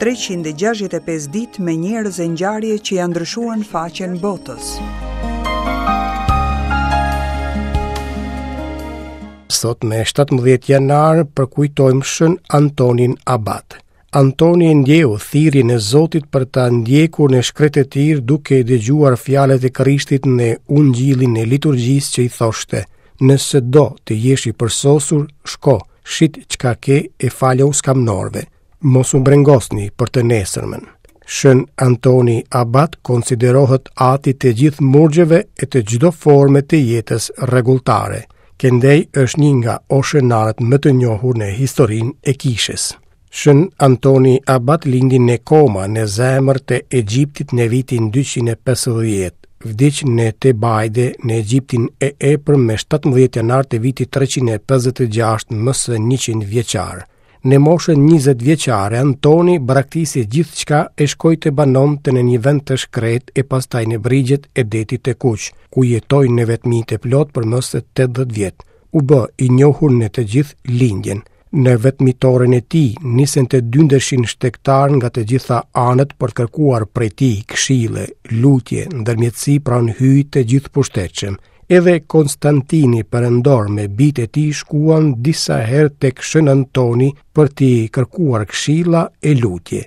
365 ditë me njerëz e ngjarje që ia ndryshuan faqen botës. Sot me 17 janar përkujtojmë Shën Antonin Abat. Antoni e ndjeu thirrjen e Zotit për ta ndjekur në shkretëtirë duke dëgjuar fjalët e Krishtit në ungjillin e liturgjisë që i thoshte, nëse do të jesh i përsosur, shko, shit çka ke e falu skamnorëve. Mos u brengosni për të nesërmen. Shën Antoni Abat konsiderohet ati i të gjithë murgjeve e të çdo forme të jetës rregulltare. Këndej është një nga oshenarët më të njohur në historinë e kishës. Shën Antoni Abat lindi në Koma në zemër të Egjiptit në vitin 250. Vdiq në Tebajde në Egjiptin e Epërm me 17 janar të vitit 356 më se 100 vjeçar. Në moshën 20 vjeçare, Antoni braktisi gjithçka e shkoi të banonte në një vend të shkretë e pastaj në brigjet e detit të Kuq, ku jetoi në vetmi të plotë për më se 80 vjet. U bë i njohur në të gjithë lindjen. Në vetmitoren e tij nisën të dyndeshin shtegtarë nga të gjitha anët për të kërkuar prej tij këshille, lutje, ndërmjetësi pranë Hyjit të gjithëpushtetshëm. Edhe Konstantini perandor me bijtë e tij shkuan disa herë tek Shën Antoni për t'i kërkuar këshilla e lutje.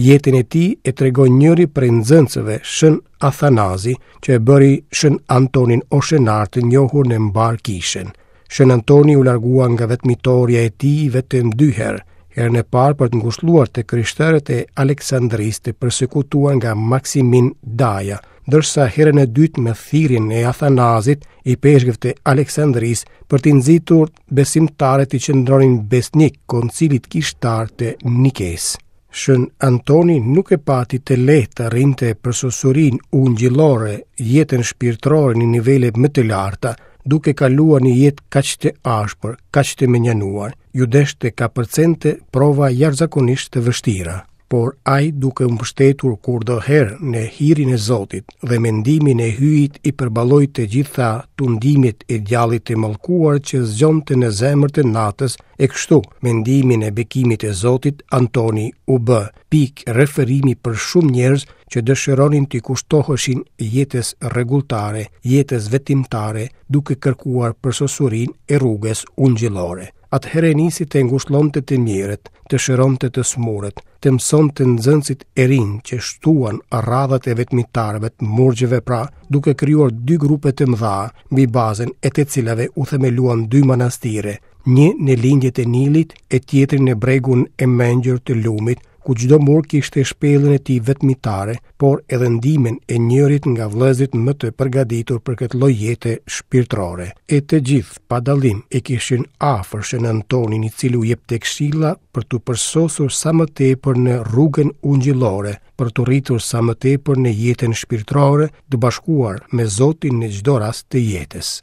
Jetën e tij e tregon njëri prej nxënësve Shën Athanazi, që e bëri Shën Antonin Oshenar të njohur në mbarë kishën. Shën Antoni u largua nga vetmitorja e tij vetëm dy herë, herën e parë për të ngushëlluar të krishterët e Aleksandrisë të persekutuar nga Maksimin Daja, ndërsa herën e dytë me thirrjen e Athanazit, ipeshkëv të Aleksandrisë, për t'i nxitur besimtarët t'i qëndronin besnik koncilit kishtar të Nikesë. Shën Antoni nuk e pati të lehtë të arrinte përsosurinë ungjillore, jetën shpirtërore në nivele më të larta, duke kaluar një jetë kaq të ashpër, kaq të mënjanuar. Iu desh të kapërcente prova jashtëzakonisht të vështira. Por ai duke u mbështetur kurdoherë në hirin e Zotit dhe me ndihmën e Hyjit i përballoi të gjitha tundimet e djallit të mallkuar që zgjonte në zemër të natës E kështu, me ndihmën e bekimit e Zotit, Antoni u bë pikë referimi për shumë njerëz që dëshironin t'i kushtoheshin jetës rregulltare, jetës vetmimtare, duke kërkuar përsosurinë e rrugës ungjillore. Atëherë nisi të ngushëllonte të mjerët, të shëronte të sëmurët, të mësonte nxënësit e rinj që shtuan radhët e vetmitarëve të murgjve pra, duke krijuar dy grupe të mëdha, mbi bazën e të cilave u themeluan dy manastire, një në lindje të Nilit e tjetri në bregun e mençur të lumit, ku çdo murg kishte shpellën e tij vetmitare, por edhe ndihmën e njërit nga vëllezërit më të përgatitur për këtë lloj jete shpirtërore. E të gjithë, pa dallim, e kishin afër Shën Antonin i cili u jepte këshilla për t'u përsosur sa më tepër në rrugën ungjillore, për t'u rritur sa më tepër në jetën shpirtërore, të bashkuar me Zotin në çdo rast të jetës.